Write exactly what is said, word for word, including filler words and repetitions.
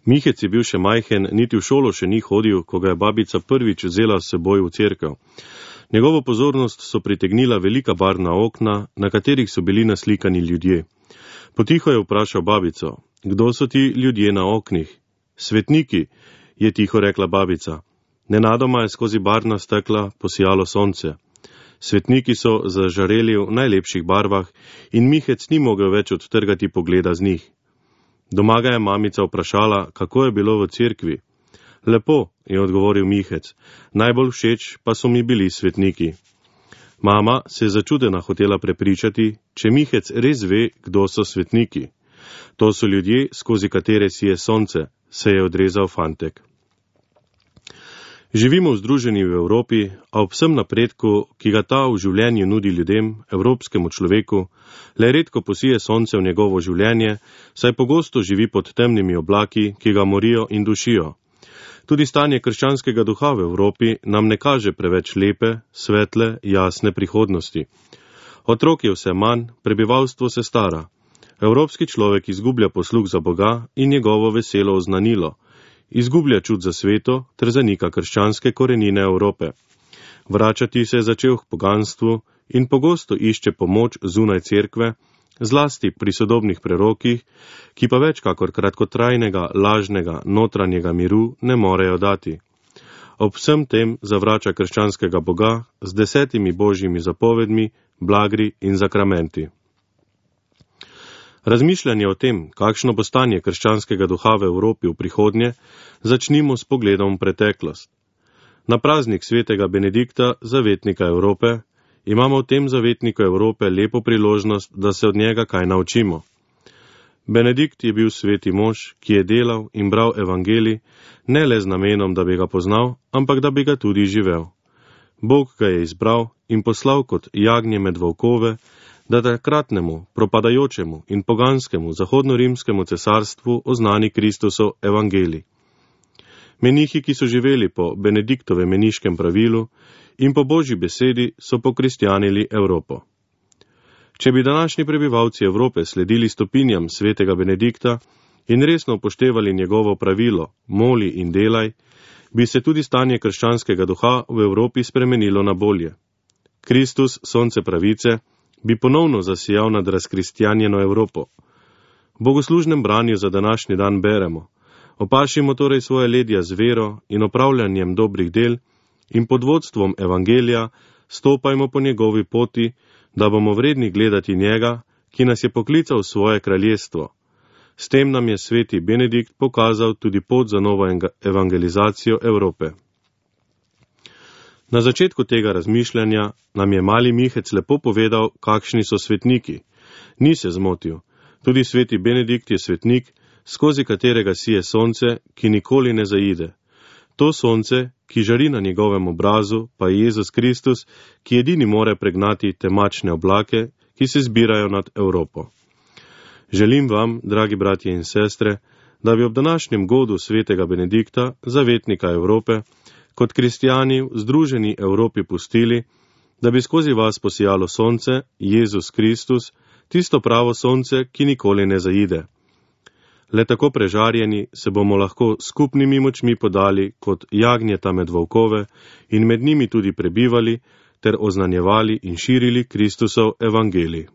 Mihec je bil še majhen, niti v šolo še ni hodil, ko ga je babica prvič vzela s seboj v cerkev. Njegovo pozornost so pritegnila velika barvna okna, na katerih so bili naslikani ljudje. Potiho je vprašal babico, kdo so ti ljudje na oknih? Svetniki, je tiho rekla babica. Nenadoma je skozi barvna stekla posijalo sonce. Svetniki so zažareli v najlepših barvah in Mihec ni mogel več odtrgati pogleda z njih. Doma ga je mamica vprašala, kako je bilo v cerkvi. Lepo, je odgovoril Mihec, najbolj všeč pa so mi bili svetniki. Mama se je začudena hotela prepričati, če Mihec res ve, kdo so svetniki. To so ljudje, skozi katere sije sonce, se je odrezal fantek. Živimo v združeni v Evropi, a ob vsem napredku, ki ga ta v življenju nudi ljudem, evropskemu človeku, le redko posije sonce v njegovo življenje, saj pogosto živi pod temnimi oblaki, ki ga morijo in dušijo. Tudi stanje krščanskega duha v Evropi nam ne kaže preveč lepe, svetle, jasne prihodnosti. Otrok je vse manj, prebivalstvo se stara. Evropski človek izgublja posluh za Boga in njegovo veselo oznanilo. Izgublja čut za sveto ter zanika krščanske korenine Evrope. Vračati se je začel k poganstvu in pogosto išče pomoč zunaj cerkve, zlasti pri sodobnih prerokih, ki pa več kakor kratkotrajnega, lažnega, notranjega miru ne morejo dati. Ob vsem tem zavrača krščanskega Boga z desetimi božjimi zapovedmi, blagri in zakramenti. Razmišljanje o tem, kakšno bo stanje krščanskega duha v Evropi v prihodnje, začnimo s pogledom v preteklost. Na praznik svetega Benedikta, zavetnika Evrope, imamo v tem zavetniku Evrope lepo priložnost, da se od njega kaj naučimo. Benedikt je bil sveti mož, ki je delal in bral evangelij, ne le z namenom, da bi ga poznal, ampak da bi ga tudi živel. Bog ga je izbral in poslal kot jagnje med volkove, da takratnemu, propadajočemu in poganskemu zahodno-rimskemu cesarstvu oznani Kristusov evangelij. Menihi, ki so živeli po Benediktovem meniškem pravilu in po Božji besedi, so pokristjanili Evropo. Če bi današnji prebivalci Evrope sledili stopinjam svetega Benedikta in resno upoštevali njegovo pravilo, moli in delaj, bi se tudi stanje krščanskega duha v Evropi spremenilo na bolje. Kristus, sonce pravice, bi ponovno zasijal nad razkristjanjeno Evropo. V bogoslužnem branju za današnji dan beremo: opašimo torej svoje ledja z vero in opravljanjem dobrih del in pod vodstvom evangelija stopajmo po njegovi poti, da bomo vredni gledati njega, ki nas je poklical v svoje kraljestvo. S tem nam je sveti Benedikt pokazal tudi pot za novo evangelizacijo Evrope. Na začetku tega razmišljanja nam je mali Mihec lepo povedal, kakšni so svetniki. Ni se zmotil. Tudi sveti Benedikt je svetnik, skozi katerega sije sonce, ki nikoli ne zaide. To sonce, ki žari na njegovem obrazu, pa je Jezus Kristus, ki edini more pregnati temačne oblake, ki se zbirajo nad Evropo. Želim vam, dragi bratje in sestre, da bi ob današnjem godu svetega Benedikta, zavetnika Evrope, kot kristijani v združeni Evropi pustili, da bi skozi vas posijalo sonce, Jezus Kristus, tisto pravo sonce, ki nikoli ne zaide. Le tako prežarjeni se bomo lahko skupnimi močmi podali kot jagnjeta med volkove in med njimi tudi prebivali ter oznanjevali in širili Kristusov evangelij.